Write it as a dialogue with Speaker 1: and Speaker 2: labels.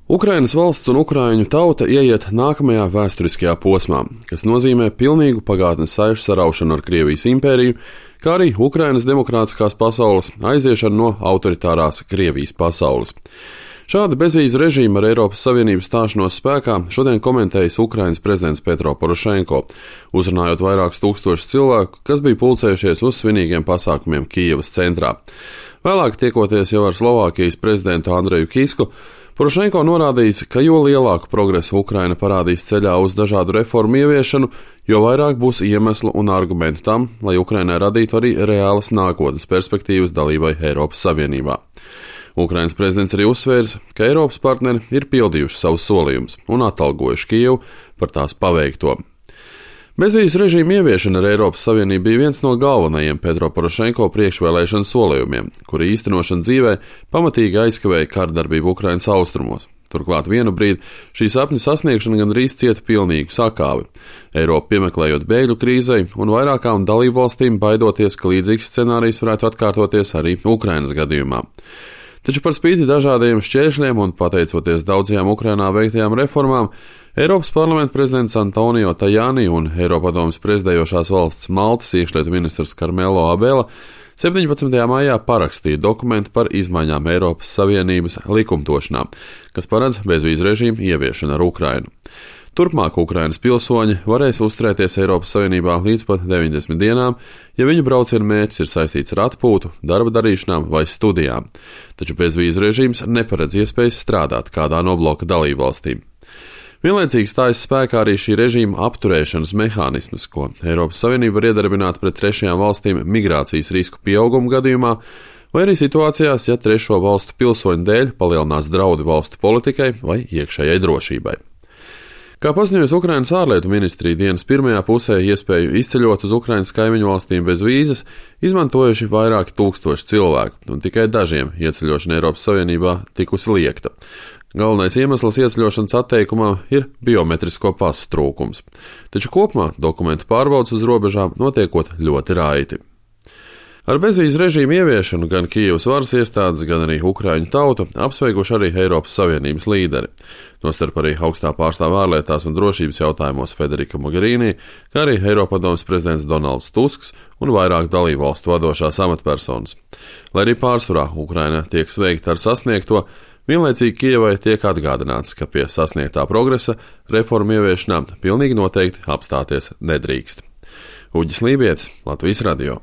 Speaker 1: Ukrainas valsts un ukraiņu tauta ieiet nākamajā vēsturiskajā posmā, kas nozīmē pilnīgu pagātnes saišu saraušanu ar Krievijas impēriju, kā arī Ukrainas demokrātiskās pasaules aiziešanu no autoritārās Krievijas pasaules. Šāda bezvīzu režīma ar Eiropas Savienības stāšanos spēkā šodien komentējis Ukrainas prezidents Petro Porošenko, uzrunājot vairākus tūkstošus cilvēku, kas bija pulcējušies uz svinīgiem pasākumiem Kijevas centrā. Vēlāk, tiekoties jau ar Slovākijas prezidentu Andreju Kisku, Porošenko norādījis, ka jo lielāku progresu Ukraina parādīs ceļā uz dažādu reformu ieviešanu, jo vairāk būs iemeslu un argumentu tam, lai Ukrainai radītu arī reālas nākotnes perspektīvas dalībai Eiropas Savienībā. Ukrainas prezidents arī uzsvērs, ka Eiropas partneri ir pildījuši savus solījumus un atalgojuši Kijevu par tās paveikto. Bezvīzu režīmu ieviešana ar Eiropas Savienību bija viens no galvenajiem Petro Porošenko priekšvēlēšanu solījumiem, kuri īstenošana dzīvē pamatīgi aizkavēja kārdarbību Ukrainas austrumos. Turklāt vienu brīdi šī sapņa sasniegšana gandrīz cieta pilnīgu sakāvi. Eiropa piemeklējot bēgļu krīzei un vairākām dalībvalstīm baidoties, ka līdzīgs scenārijs varētu atkārtoties arī Ukrainas gadījumā. Taču par spīti dažādiem šķēršļiem un pateicoties daudzajām Ukrainā veiktajām reformām, Eiropas parlamenta prezidents Antonio Tajani un Eiropadomes prezidējošās valsts Maltas iekšlietu ministrs Karmelo Abela 17. maijā parakstīja dokumentu par izmaiņām Eiropas Savienības likumdošanā, kas paredz bezvīzu režīmu ieviešanu ar Ukrainu. Turpmāk Ukrainas pilsoņi varēs uzturēties Eiropas Savienībā līdz pat 90 dienām, ja viņu brauciena mērķis ir saistīts ar atpūtu, darba darīšanām vai studijām, taču bezvīzu režīms neparedz iespējas strādāt kādā no bloka dalībvalstīm. Vienlaicīgi stājas spēkā arī šī režīma apturēšanas mehānisms, ko Eiropas Savienība var iedarbināt pret trešajām valstīm migrācijas risku pieauguma gadījumā, vai arī situācijās, ja trešo valstu pilsoņu dēļ palielinās draudi valstu politikai vai iekšējai drošībai. Kā paziņojas Ukrainas ārlietu ministrija, dienas pirmajā pusē iespēju izceļot uz Ukrainas kaimiņu valstīm bez vīzas izmantojuši vairāki tūkstoši cilvēku, un tikai dažiem ieceļošana Eiropas Savienībā tikusi liekta. Galvenais iemesls ieceļošanas atteikumā ir biometrisko pasu trūkums, taču kopumā dokumentu pārbaudes uz robežām notiekot ļoti raiti. Ar bezvīzu režīmu ieviešanu gan Kijevas varas iestādes, gan arī ukraiņu tautu apsveikuši arī Eiropas Savienības līderi, tostarp arī augstā pārstāve ārlietās un drošības jautājumos Federika Mogherini, kā arī Eiropadomes prezidents Donalds Tusks un vairāk dalībvalstu vadošās amatpersonas. Lai arī pārsvarā Ukraina tiek sveikta ar sasniegto, vienlaicīgi Kijevai tiek atgādināts, ka pie sasniegtā progresa reformu ieviešanā pilnīgi noteikti apstāties nedrīkst. Uģis Lībietis, Latvijas radio.